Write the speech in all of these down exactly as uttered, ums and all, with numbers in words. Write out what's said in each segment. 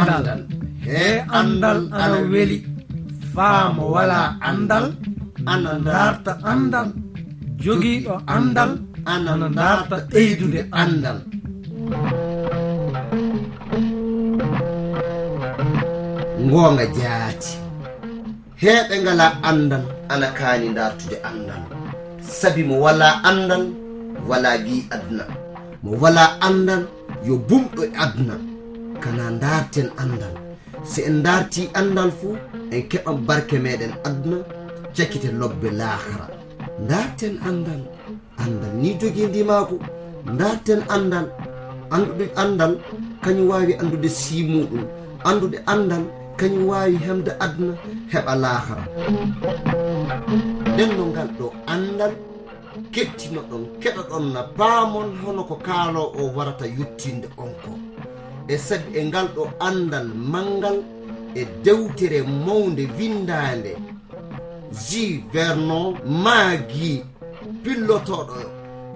Anndal. He anndal ana weli. Faa mo walaa anndal ana ndaarta anndal. Jogiiɗo anndal ana ndaarta ɓeydude anndal. Ngoonga jaati. Heɓe ngalaa anndal ana kaani ndaartude anndal. Sabi mo walaa anndal, walaa gi'i aduna. Mo walaa anndal, yo bumɗo e aduna. Kana ndaarten anndal. Si en ndaartii anndal fu, en keɓan barke meɗen aduna, cakite lobbe laakara. Ndaarten anndal. Anndal ni jogii ndimaagu. Ndaarten anndal. Anndude anndal, kañum waawi anndude sii muuɗum. Anndude anndal, kañum waawi hemde aduna, heɓa laakara. Nden no ngal ɗo anndal, kettinoɗon, keɗoɗon na paamon hono ko kaaloo o warata yottinde on ko. E sabi e ngal ɗo anndal manngal e dewtere mawnde winndaande, J. Vernon Maggi, pillotooɗo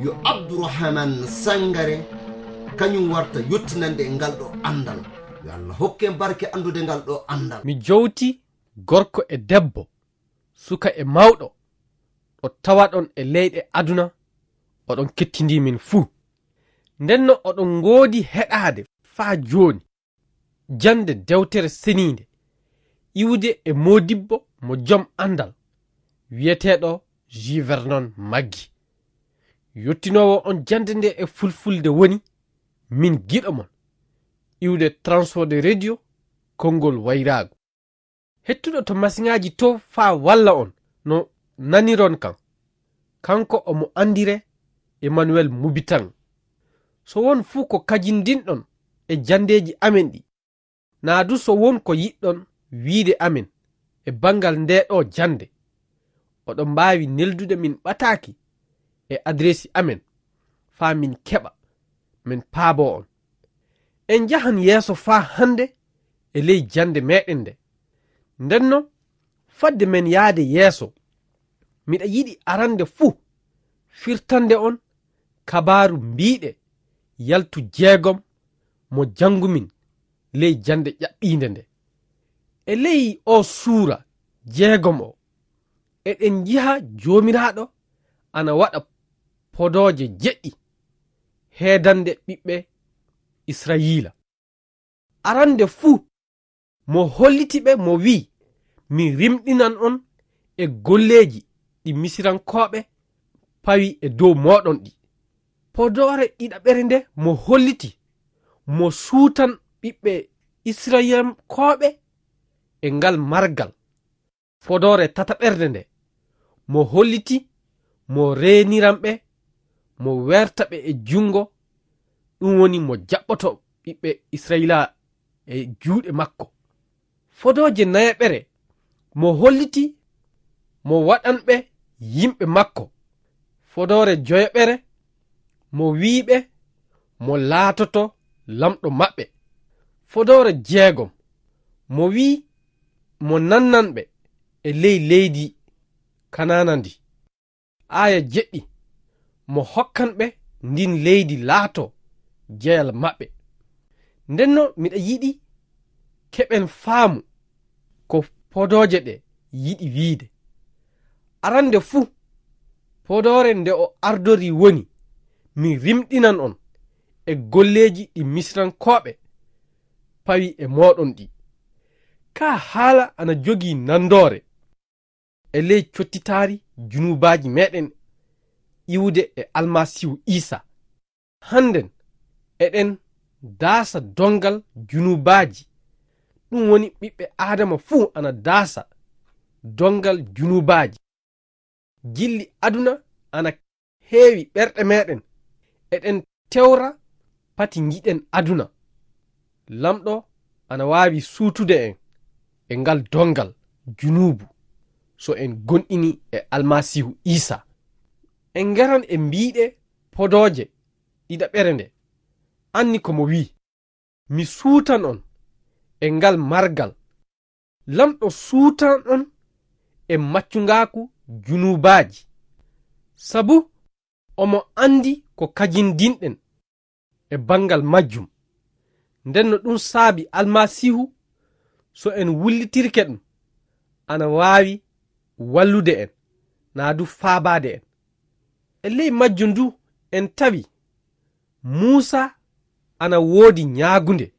yo Abdourahmane Sangare, kañum warta yottinande e ngal ɗo anndal. Yo Allah hokke en barke anndude ngal ɗo anndal. Mi jowti gorko e debbo, suka e mawɗo, ɗo tawaɗon e leyɗe aduna, oɗon kettindii min fuu. Ndenno oɗon ngoodi heɗaade faa jooni jannde dewtere seniinde, iwde e moodibbo mo jom anndal, wiyeteeɗo J. Vernon Maggi. Yottinoowo on jannde nde e fulfulde woni Min Giɗo Mon, iwde Transworld Radio, konngol wayraagu. Hettuɗo to masiŋaaji to faa walla on no naniron kan. Kanko omo anndire Emmanuel Mubitan. So won fuu ko kajindinɗon e janndeeji amen ɗi, naa du so won ko yiɗɗon wiide amen e banngal ndee ɗoo jannde, oɗon mbaawi neldude min ɓataaki e adireesi amen faa min keɓa, min paaboo on. En njahan yeeso faa hannde e ley jannde meɗen nde. Ndenno, fadde men yaade yeeso, miɗa yiɗi arande fuu firtande on kabaaru mbiiɗe yaltu jeegom mo janngumin ley jannde ƴaɓɓiinde nde. E ley oo suura jeegom o, eɗen njiha Joomiraaɗo ana waɗa podooje jeɗɗi heedande ɓiɓɓe Israyiila. Arande fuu, mo holliti ɓe, mo wi'i, "Mi rimɗinan on e golleeji ɗi Misirankooɓe pawi e dow mooɗon ɗi." Podoore ɗiɗaɓere nde mo holliti, mo suutan ɓiɓɓe Israyilankooɓe e ngal margal. Fodoore tataɓerde nde, mo holliti, mo reeniran ɓe, mo weerta ɓe e junngo, ɗum woni mo jaɓɓoto ɓiɓɓe Israyiila e juuɗe makko. Fodooje nayaɓere, mo holliti, mo waɗan ɓe yimɓe makko. Fodoore joyaɓere, mo wi'i ɓe, mo laatoto lamɗo maɓɓe. Fodoore jeegom, mo wi'i, mo nannan ɓe e ley leydi Kanaana ndi. Aaya jeɗɗi, mo hokkan ɓe ndin leydi laatoo jeyal maɓɓe. Ndenno miɗa yiɗi keɓen faamu ko podooje ɗe yiɗi wiide. Arande fuu, podoore nde o ardori woni, "Mi rimɗinan on e golleeji ɗi Misirankooɓe pawi e mooɗon ɗi." Kaa haala ana jogii nandoore e ley cottitaari junuubaaji meɗen iwude e Almasiihu Iisa. Hannden eɗen daasa dongal junuubaaji. Ɗum woni ɓiɓɓe Aadama fuu ana daasa dongal junuubaaji. Jilli aduna ana heewi ɓerɗe meɗen. Eɗen tewra pati njiɗen aduna. Lamɗo ana waawi suutude en e ngal dongal junuubu so en gonɗini e Almasiihu Iisa. En ngaran e mbiiɗe podooje ɗiɗaɓere nde. Anni ko mo wi'i, "Mi suutan on e ngal margal." Lamɗo suutan on e maccungaaku junuubaaji. Sabu omo anndi ko kajindinɗen e banngal majjum. Nden no ɗum saabi Almasiihu, so en wullitirke ɗum, ana waawi wallude en, naa du faabaade en. E ley majjum du, en tawi Muusa ana woodi ñaagunde.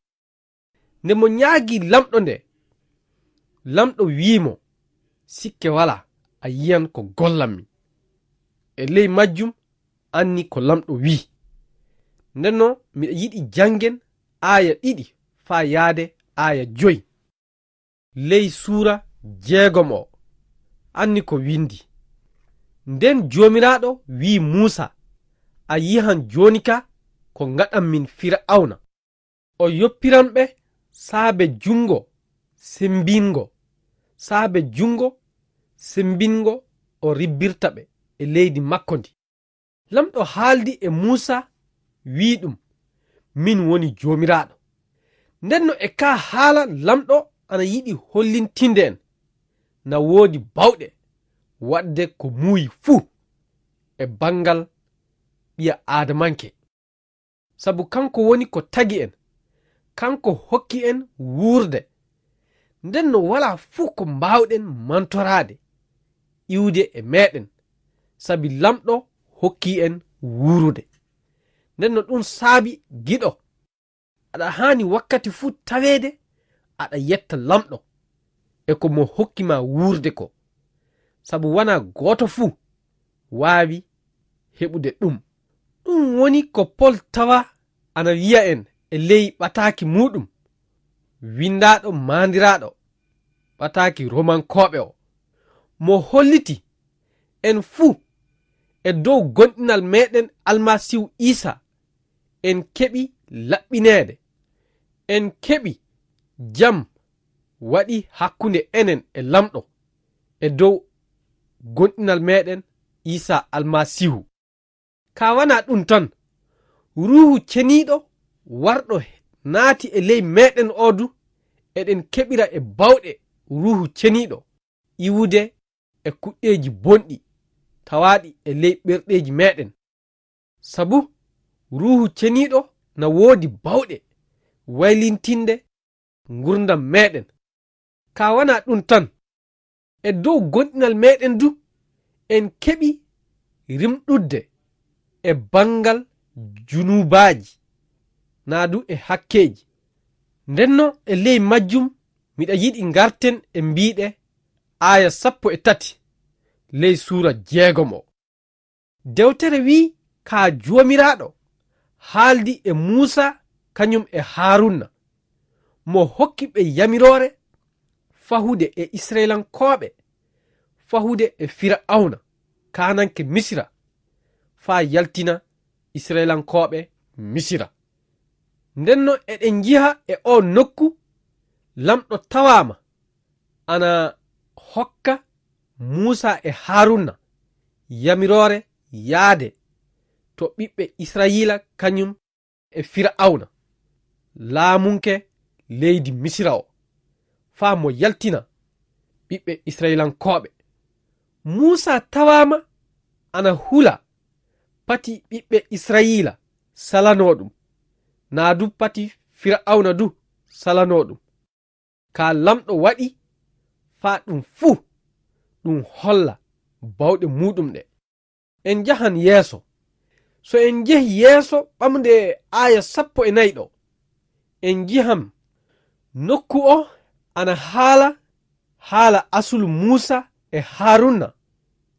Nde mo ñaagii Lamɗo nde, Lamɗo wi'i mo, "Sikke walaa, a yiyan ko gollammi." E ley majjum, anni ko Lamɗo wi'i. Nden non, miɗa yiɗi janngen aaya ɗiɗi faa yaade aaya joy. Ley suura jeegom o, anni ko windi. Nden Joomiraaɗo wi'i Muusa, "A yi'an jooni ka ko ngaɗan min Fira'awna. O yoppiran ɓe saabe junngo sembinngo, saabe junngo sembinngo o ribbirta ɓe e leydi makko ndi." Lamɗo haaldi e Muusa, wi'i ɗum, "Min woni Joomiraaɗo." Nden no e kaa haala Lamɗo ana yiɗi hollintinde en na woodi bawɗe waɗde ko muuyi fuu e banngal ɓiya Aadamanke. Sabu kanko woni ko tagi en, kanko hokki en wuurde. Nden no walaa fuu ko mbaawɗen mantoraade, iwde e meeɗen, sabi Lamɗo hokki en wuurude. Nden no ɗum saabi giɗo, aɗa haani wakkati fuu taweede aɗa yetta Lamɗo e ko mo hokki ma wuurde ko, sabu wanaa gooto fuu waawi heɓude ɗum. Ɗum woni ko Pol tawa ana wi'a en e ley ɓataaki muuɗum, winndaaɗo maandiraaɗo ɓataaki Romankooɓe o, mo holliti en fuu e dow gomɗinal meeɗen Almasiihu Iisaa, en keɓi laɓɓineede, en keɓi jam waɗi hakkunde enen e Lamɗo e dow gomɗinal meeɗen Iisaa Almasiihu. Kaa wanaa ɗum tan, Ruuhu Ceniiɗo warɗo naati e ley meeɗen oo du, eɗen keɓira e bawɗe Ruuhu Ceniiɗo iwude e kuɗɗeeji bonɗi tawaaɗi e ley ɓerɗeeji meeɗen. Sabu Ruuhu Ceniiɗo na woodi bawɗe waylintinde ngurndan meeɗen. Kaa wanaa ɗum tan, e dow gomɗinal meeɗen du, en keɓi rimɗudde e banngal junuubaaji, naa du e hakkeeji. Ndenno e ley majjum, miɗa yiɗi ngarten e mbiiɗe aaya sappo e tati ley suura jeegom o. Dewtere wi'i, "Kaa Joomiraaɗo haaldi e Muusa kañum e Haaruuna, mo hokki ɓe yamiroore fahude e Isra'ilankooɓe, fahude e Fira'awna, kaananke Misira, faa yaltina Isra'ilankooɓe Misira." Ndenno eɗen njiha e oo nokku, Lamɗo tawaama ana hokka Muusa e Haaruuna yamiroore yaade to ɓiɓɓe Israayiila kañum e Fira'awna, laamunke leydi Misira o, faa mo yaltina ɓiɓɓe Israayiilankooɓe. Muusa tawaama ana hula pati ɓiɓɓe Israayiila salanoo ɗum, naa du pati Fira'awna du salanoo ɗum. Kaa Lamɗo waɗi faa ɗum fuu ɗum holla bawɗe muuɗum ɗe. En njahan yeeso. So en njehii yeeso ɓamde aaya sappo e nayi ɗo, en njihan nokku o ana haala haala asulu Muusa e Haaruuna,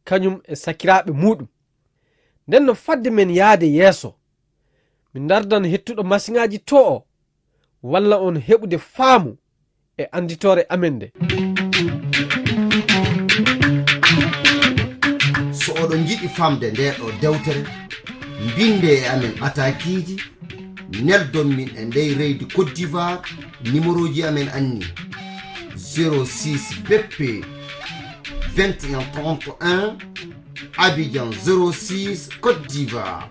kañum e sakiraaɓe muuɗum. Nden no fadde men yaade yeeso, mi ndardan hettuɗo masiŋaaji to o, walla on heɓude faamu e annditoore amen nde. So oɗon njiɗi famde ndee ɗoo dewtere, mbinde e amen ɓataakiiji, neldon min e ndey leydi Côte d'Ivoire, numéroji amen anni: zéro six B P vingt et un trente et un, Abidjan zéro six, Côte d'Ivoire.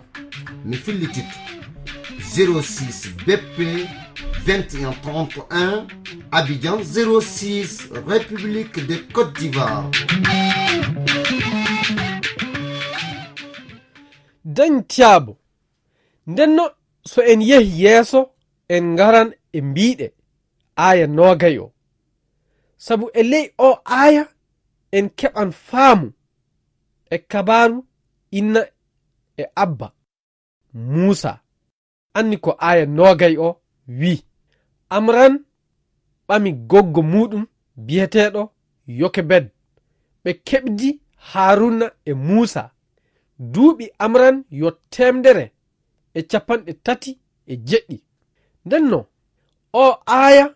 Mi fillititto: zéro six B P vingt et un trente et un, Abidjan zéro six, République de Côte d'Ivoire. Dañ Tiyaabo. Ndenno, so en yehi yeeso, en ngaran e mbiiɗe, aaya noogay o. Sabu e ley oo aaya en keɓan faamu e kabaaru inna e abba Muusa. Anni ko aaya noogay o wii, Amran ɓami goggo muuɗum biyeteeɗo Yokebed. Ɓe keɓdi Haruna e Muusa. Duuɓi Amran yo teemedere e capanɗe tati e jeɗɗi. Nden non, oo aaya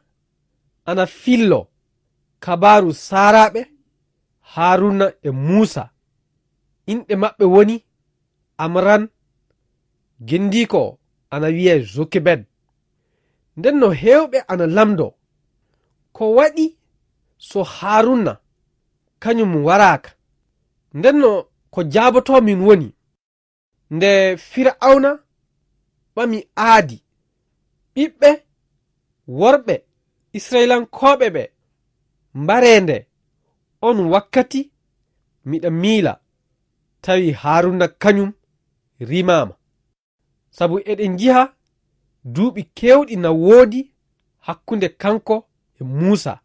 ana fillo kabaaru saaraaɓe Haruna e Muusa. Inɗe maɓɓe woni Amran, gendiiko o ana wiyee Jokebed. Nden no heewɓe ana lamndoo, ko waɗi so Haruna kañum waraaka? Nden no ko jaabotoo min woni, nde Fir'awna ɓami aadi ɓiɓɓe worɓe Israyilankooɓe ɓe mbaree nde, on wakkati miɗa miila, tawi Haruna kañum rimaama. Sabu eɗen njiha duuɓi keewɗi na woodi hakkunde kanko e Muusa.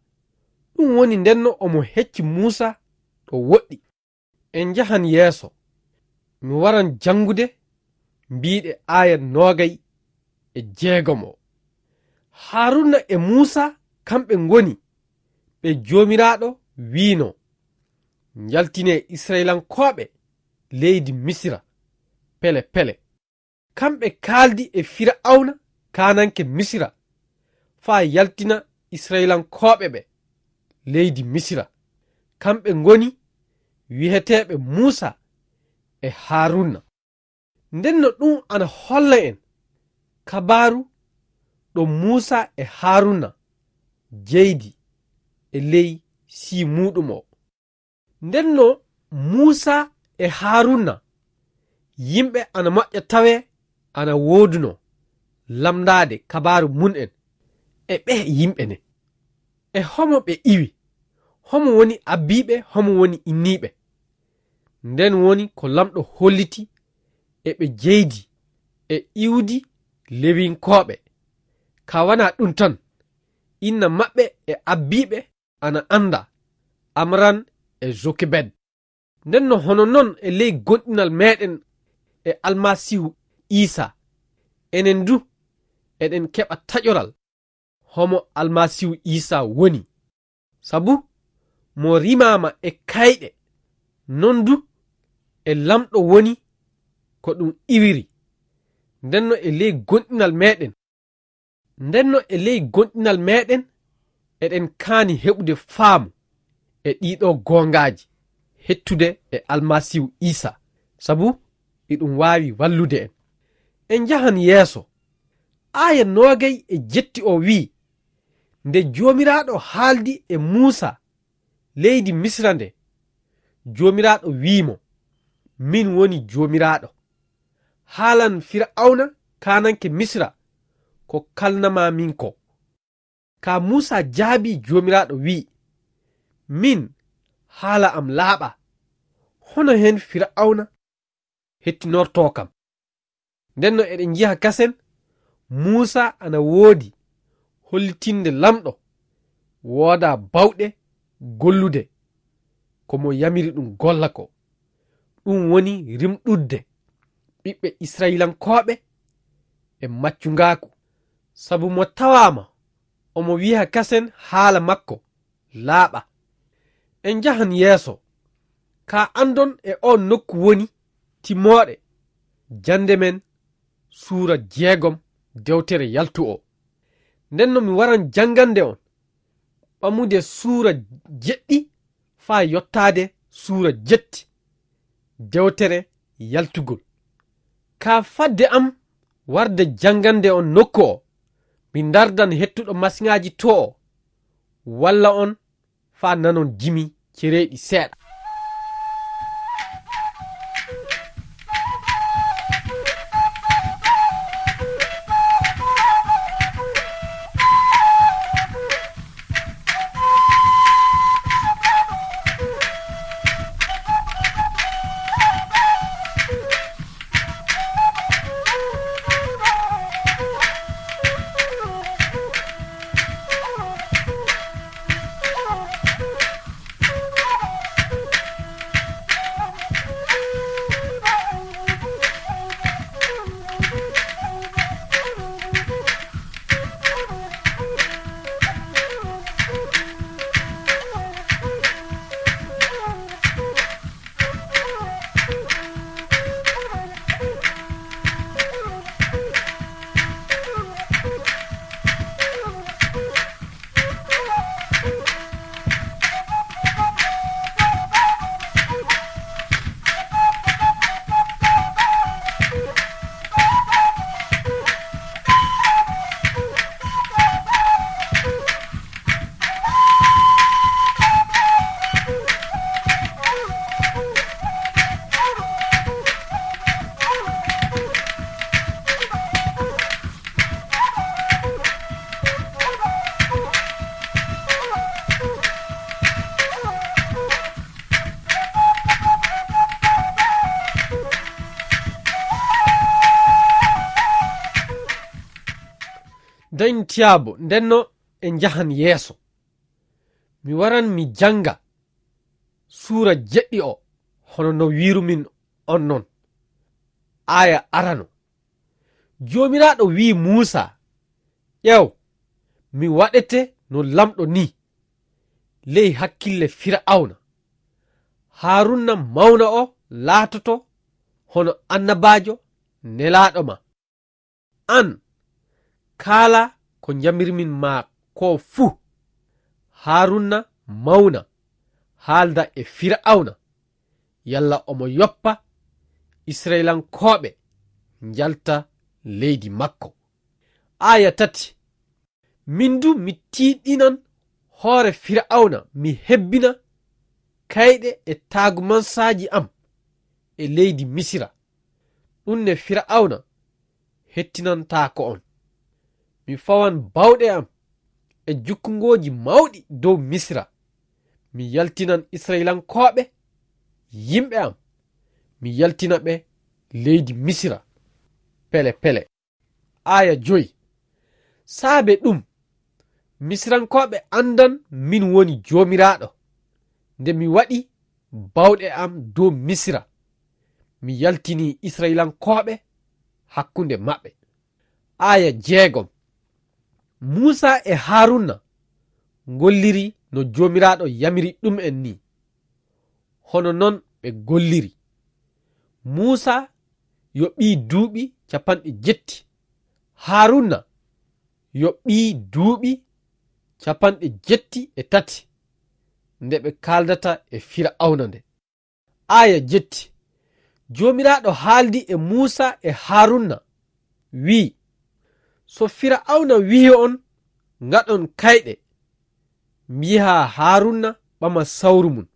Ɗum woni ndenno omo hecci Muusa ɗo woɗɗi. En njahan yeeso. Mi waran janngude mbiiɗe aaya noogay e jeegom o. Haruna e Muusa kamɓe ngoni ɓe Joomiraaɗo wiino, njaltinee Israyilankooɓe leydi Misira pele pele. Kamɓe kaaldi e Fir'awna kaananke Misira faa yaltina Israyilankooɓe ɓe leydi Misira. Kamɓe ngoni wi'eteeɓe Muusa e Haruna. Nden no ɗum ana holla en kabaaru ɗo Muusa e Haruna jeydi e ley sii muuɗum o. Nden no Muusa e Haruna, yimɓe ana moƴƴa tawee ana wooduno lamndaade kabaaru mum en e ɓee yimɓe ne. E homo ɓe iwi? Homo woni abbiiɓe, homo woni inniiɓe? Nden woni ko Lamɗo holliti e ɓe jeydi e iwdi Lewinkooɓe. Ka wanaa ɗum tan, inna maɓɓe e abbiiɓe ana annda, Amran e Jokebed. Nden no hono non e ley gomɗinal meɗen e Almasiihu Iisaa, enen du eɗen keɓa taƴoral homo Almasiihu Iisaa woni. Sabu mo rimaama e kayɗe, non du e Lamɗo woni ko ɗum iwiri. Nden no e ley gomɗinal meɗen, nden no e ley gomɗinal meɗen, eɗen kaani heɓude faamu e ɗiɗo goongaaji hettude e Almasiihu Iisaa, sabu iɗum waawi wallude en. En njahan yeeso. Aaya noogay e jetti o wi'i, nde Joomiraaɗo haaldi e Muusa leydi Misira nde, Joomiraaɗo wi'i mo, "Min woni Joomiraaɗo. Haalan Fir'awna kaananke Misira ko kalnanmaa min ko." Ka Muusa jaabii Joomiraaɗo wi'i, "Min, haala am laaɓa. Hono hen Fir'awna hettinortoo kam?" Nden no eɗen njiha kasen, Muusa ana woodi hollitinde Lamɗo woodaa bawɗe gollude ko mo yamiri ɗum golla ko. Ɗum woni rimɗudde ɓiɓɓe Israyilankooɓe e maccungaaku. Sabu mo tawaama omo wi'a kasen haala makko laaɓa. En njahan yeeso. Ka anndon e oon nokku woni timmooɗe jannde men suura jeegom dewtere yaltu o. Nden no mi waran janngande on ɓamude suura jeɗɗi faa yottaade suura jetti dewtere yaltugol. Ka fadde am warde janngande on nokku o, mi ndardan hettuɗo masiŋaaji to o, walla on faa nanon jimi cereeɗi seeɗa. Dañ tiyaabo, ndenno en njahan yeeso. Mi waran mi jannga suura jeɗɗi o, hono no wiirumin on non. Aaya arano. Joomiraaɗo wi'i Muusaa, "Ƴeew, mi waɗete no lamɗo nii, ley hakkille Fira'awna. Haaruuna mawna o laatoto hono annabaajo nelaaɗo ma. Aan, kaala ko njamirmin ma ko fuu. Haaruuna mawna, haalda e Fira'awna, yalla omo yoppa Isra'ilankooɓe njalta leydi makko." Aaya tati. Min du mi tiiɗinan hoore Fira'awna, mi hebbina kayɗe e taagumansaaji am e leydi Misira. Ɗum ne Fira'awna hettinantaako on. Mi fawan bawɗe am e jukkungooji mawɗi dow Misira. Mi yaltinan Isra'ilankooɓe, yimɓe am, mi yaltina ɓe leydi Misira pele pele. Aaya joy. Saabe ɗum, Misirankooɓe anndan min woni Joomiraaɗo, nde mi waɗi bawɗe am dow Misira, mi yaltini Isra'ilankooɓe hakkunde maɓɓe. Aaya jeegom. Muusaa e Haaruuna ngolliri no Joomiraaɗo yamiri ɗum en nii. Hono non ɓe golliri. Muusaa yo ɓii duuɓi capanɗe jetti. Haaruuna yo ɓii duuɓi capanɗe jetti e tati nde ɓe kaaldata e Fira'awna nde. Aaya jetti. Joomiraaɗo haaldi e Muusaa e Haaruuna, wi'i, "So Fira'awna wi'i on, ngaɗon kayɗe, mbi'aa Haaruuna ɓama sawru mum,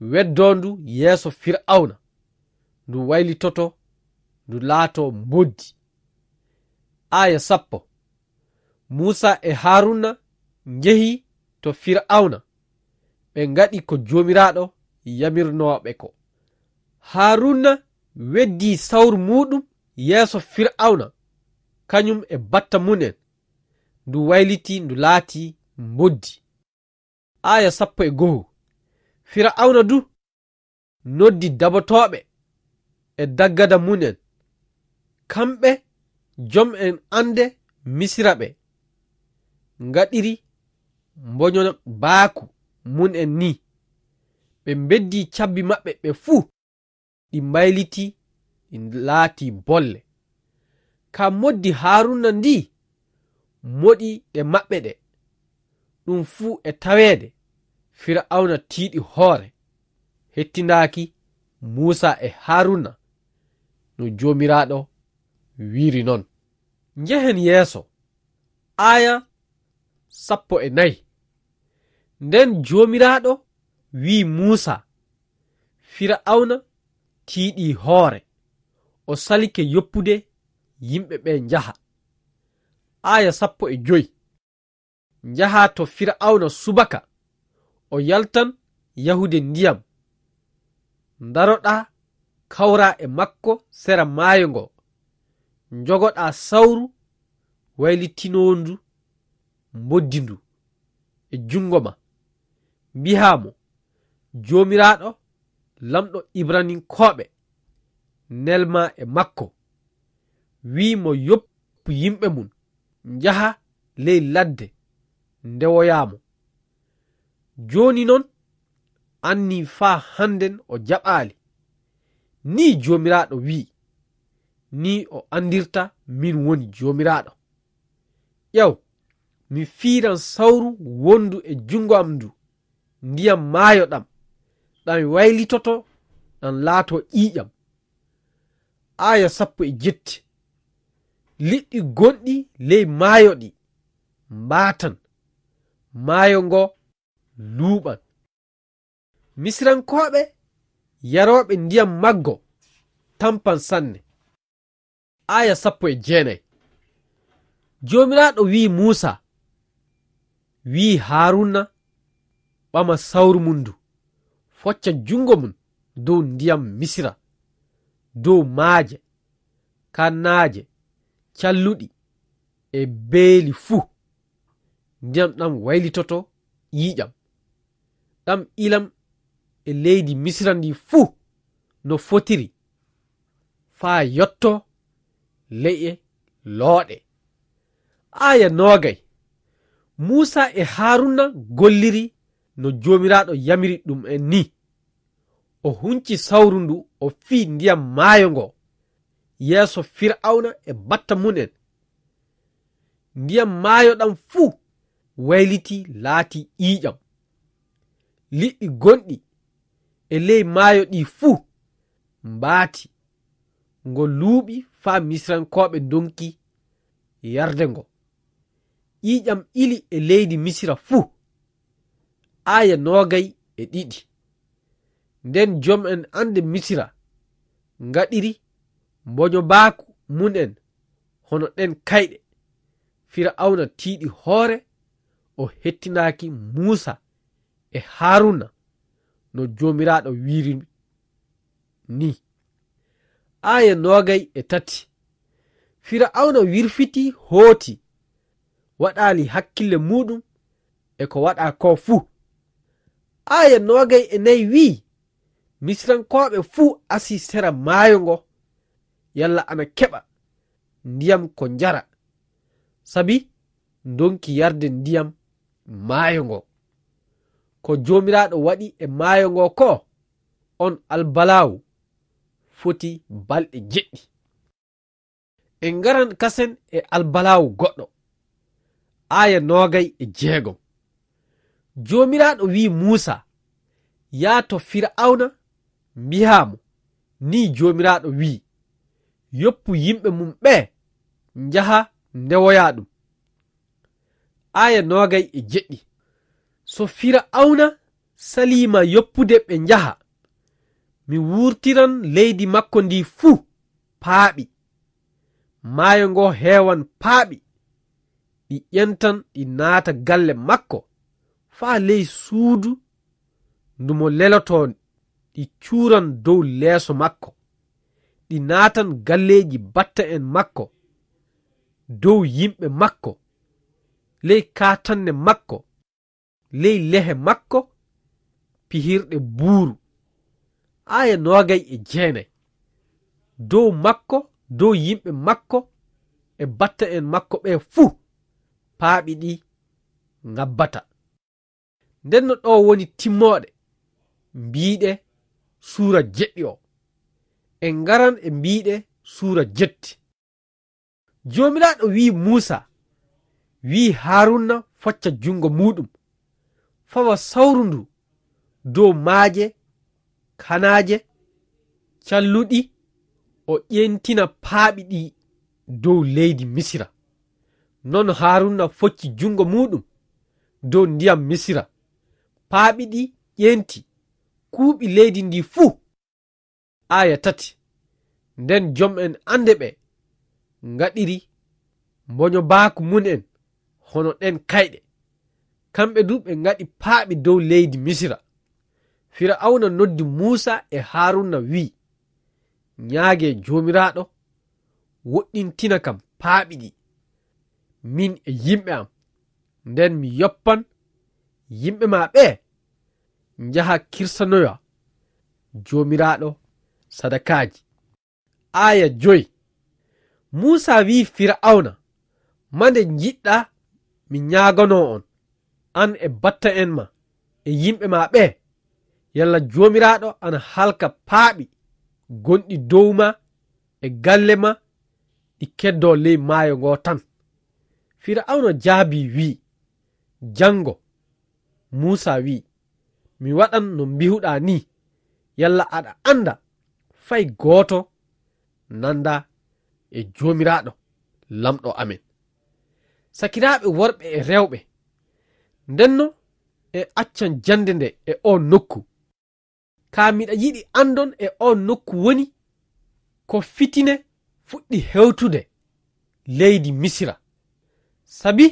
weddoo ndu yeeso Fira'awna, ndu waylitoto, ndu laatoo mboddi." Aaya sappo. Muusaa e Haaruuna njehi to Fira'awna, ɓe ngaɗi ko Joomiraaɗo yamirnoo ɓe ko. Haaruuna weddii sawru muuɗum yeeso Fira'awna, kañum e batta mum en, ndu waylitii, ndu laatii mboddi. Aaya sappo e go'o. Fira'awna du noddi dabotooɓe e daggada mum en, kamɓe jom en annde Misira ɓe, ngaɗiri mboño baaku mum en nii. Ɓe mbeddi cabbi maɓɓe ɓe fuu, ɗi mbaylitii, ɗi laatii bolle. Ka moddi Haaruuna ndii moɗi ɗe maɓɓe ɗe. Ɗum fuu e taweede, Fira'awna tiiɗi hoore, hettindaaki Muusaa e Haaruuna, no Joomiraaɗo wiiri non. Njehen yeeso. Aaya sappo e nayi. Nden Joomiraaɗo wi'i Muusaa, Fira'awna tiiɗii hoore, o salike yoppude yimɓe ɓe njaha. Aaya sappo e joy. Njahaa to Fira'awna subaka, o yaltan yahude ndiyam. Ndaroɗaa kawraa e makko sera maayo ngo. Njogoɗaa sawru waylitinoondu mboddi ndu e junngo ma. Mbi'aa mo, Joomiraaɗo, Laamɗo Ibraninkooɓe, nelmaa e makko, wi'i mo yoppu yimɓe mum, njaha ley ladde, ndewoyaa mo. Jooni non, anni faa hannden o jaɓaali. Nii Joomiraaɗo wi'i, nii o anndirta min woni Joomiraaɗo. Ƴeew, mi fiiran sawru wondu e junngo am ndu, ndiyam maayo ɗam, ɗam waylitoto, ɗam laatoo ƴiiƴam. Aaya sappo e jetti. Liɗɗi gonɗi ley maayo ɗi mbaatan, maayo ngo luuɓan. Misirankooɓe yarooɓe ndiyam maggo tampan sanne. Aaya sappo e jeenayi. Joomiraaɗo wi'i Muusaa, wi'i Haaruuna ɓama sawru mum ndu, focca junngo mum dow ndiyam Misira, dow maaje, kannaaje, calluɗi, e beeli fuu, ndiyam ɗam waylitoto ƴiiƴam. Ɗam ilam e leydi Misira ndi fuu no fotiri, faa yotto leƴƴe looɗe. Aaya noogay. Muusa e Haruna golliri no Joomiraaɗo yamiri ɗum en ni. O hunci sawru ndu, o fii ndiyam maayo ngo yeeso Fir'awna e batta mum en. Ndiyam maayo ɗam fuu wayliti, laati ƴiiƴam. Liɗɗi gonɗi e ley maayo ɗi fuu mbaati. Ngo luuɓi faa Misirankooɓe ndonki yarde ngo. Ƴiiƴam ili e leydi Misira fuu. Aaya noogay e ɗiɗi. Nden jom'en annde Misira ngaɗiri mboñobaaku mum en hono ɗen kayɗe. Fir'awna tiiɗi hoore, o hettinaaki Muusa e Haruna no Joomiraaɗo wiiri ni. Aaya noogay e tati. Fir'awna wirfiti hooti, waɗaali hakkille muuɗum e ko waɗaa koo fuu. Aaya noogay e nayi wi'i, Misirankooɓe fuu asii sera maayo ngo, yalla ana keɓa ndiyam ko njara, sabi ndonki yarde ndiyam maayo ngo. Ko Joomiraaɗo waɗi e maayo ngo koo, on albalaawu foti balɗe jeɗɗi. En ngaran kasen e albalaawu goɗɗo. Aaya noogay e jeegom. Joomiraaɗo wi'i Muusa, "Yaa to Fir'awna, mbi'aa mo, 'Nii Joomiraaɗo wi'i, yoppu yimɓe mum ɓee, njaha ndewoyaa ɗum.'" Aaya noogay e jeɗɗi. "So Fir'awna salii ma yoppude ɓe njaha, mi wurtiran leydi makko ndi fuu paaɓi. Maayo ngo heewan paaɓi. Ɗi ƴentan, ɗi naata galle makko, faa ley suudu ndu mo lelotoo, ɗi cuuran dow leeso makko. Ɗi naatan galleeji batta'en makko, dow yimɓe makko, ley kaatanne makko, ley lehe makko pihirɗe buuru." Aaya noogay e jeenay. "Dow makko, dow yimɓe makko e batta'en makko ɓee fuu, paaɓi ɗi ngabbata." Ndenno ɗoo woni timmooɗe mbiiɗe suura jeɗɗi o. En ngaran e mbiiɗe suura jetti. Joomiraaɗo wi'i Muusa, wi'i Haruna focca junngo muuɗum, fawa sawru ndu dow maaje kanaaje calluɗi, o ƴeentina paaɓi ɗi dow leydi Misira. Non Haruna focci junngo muuɗum dow ndiyam Misira. Paaɓi ɗi ƴeenti, kuuɓi leydi ndi fuu. Aaya tati. Nden jom'en annde ɓe ngaɗiri mboñobaaku mum en hono ɗen kayɗe. Kamɓe du ɓe ngaɗi paaɓi dow leydi Misira. Fir'awna noddi Muusa e Haruna, wi'i, "Ñaagee Joomiraaɗo, woɗɗintina kam paaɓi ɗi, min e yimɓe am. Nden mi yoppan yimɓe ma ɓee, njaha kirsanoya Joomiraaɗo sadakaaji." Aaya joy. Muusa wi'i Fir'awna, "Mande njiɗɗaa mi ñaaganoo on, an e batta'en ma e yimɓe ma ɓee? Yalla Joomiraaɗo ana halka paaɓi gonɗi dow ma e galle ma, ɗi keddoo ley maayo ngoo tan?" Fir'awna jaabii, wi'i, "Janngo." Muusa wi'i, "Mi waɗan no mbi'uɗaa nii. Yalla aɗa annda fay gooto nanda e Joomiraaɗo, Laamɗo amen?" Sakiraaɓe worɓe e rewɓe, ndenno en accan jannde nde e oo nokku. Kaa miɗa yiɗi anndon e oo nokku woni ko fitine fuɗɗi hewtude leydi Misira. Sabi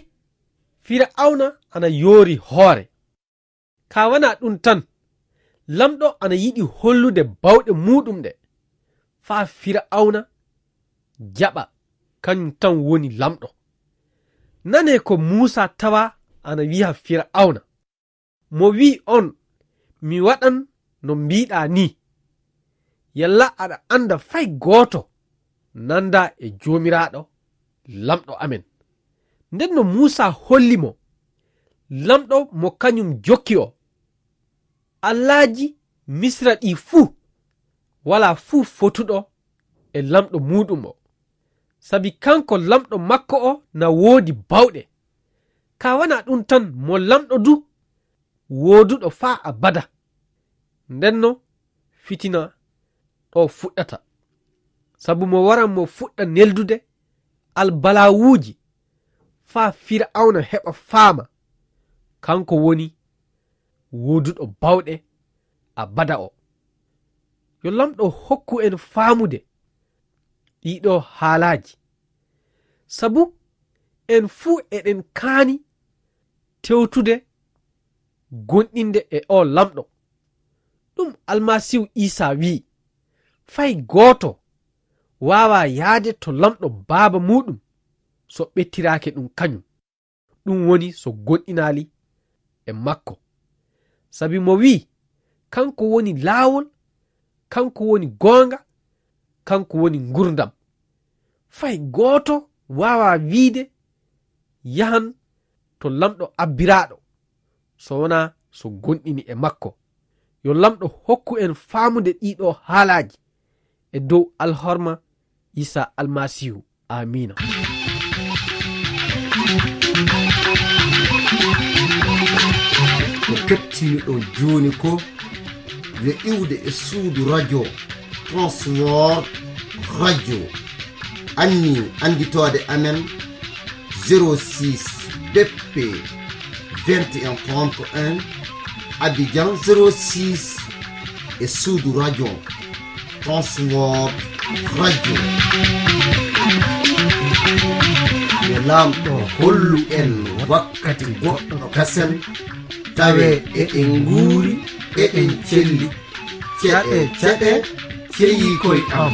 Fir'awna ana yoori hoore. Kaa wanaa ɗum tan, Laamɗo ana yiɗi hollude bawɗe muuɗum ɗe, faa Fir'awna jaɓa kañum tan woni Laamɗo. Nanee ko Muusaa tawaa ana wiya Fira'awna. Mo wi'i on, "Mi waɗan no mbiiɗaa nii." Yalla aɗa annda fay gooto nanda e Joomiraaɗo, Laamɗo amen. Nden no Muusaa holli mo, Laamɗo mo kañum jokki o, "Allaaji Misra ɗii fuu, walaa fuu fotuɗo e Laamɗo muuɗum o. Sabi kanko Laamɗo makko o na woodi baawɗe. Kaa wanaa ɗum tan, mo Laamɗo du wooduɗo faa abada." Ndenno fitina ɗo fuɗɗata. Sabu mo waran mo fuɗɗa neldude albalaawuuji faa Fira'awna heɓa faama kanko woni wooduɗo baawɗe abada o. Yo Laamɗo hokku en faamude ɗiɗo haalaaji. Sabu en fuu eɗen kaani tewtude gonɗinde e o Laamɗo. Ɗum Almasiihu Iisaa wi'i, "Fay gooto waawaa yaade to Laamɗo Baaba muuɗum so ɓettiraake ɗum kañum." Ɗum woni so gonɗinaali e makko. Sabi mo wi'i, "Kanko woni laawol, kanko woni goonga, kanko woni ngurdam. Fay gooto waawaa wi'ude yahan to Laamɗo abbiraaɗo, so wonaa so gonɗini e makko." Yo Laamɗo hokku en faamude ɗiɗo haalaaji e dow alhorma Iisaa Almasiihu. Aamiina. Ko kettiniɗon jooni ko yo iwde e suudu radio Transworld Radio. Anni annditoode amen zéro six B P vingt et un trente et un, Abidjan zéro six, e suudu radio Transworld Radio. Yo Laamɗo hollu en wakkati goɗɗo kasen, tawe eɗen nguuri, eɗen celli. Ceɗe, ceɗe, ceyi koy am.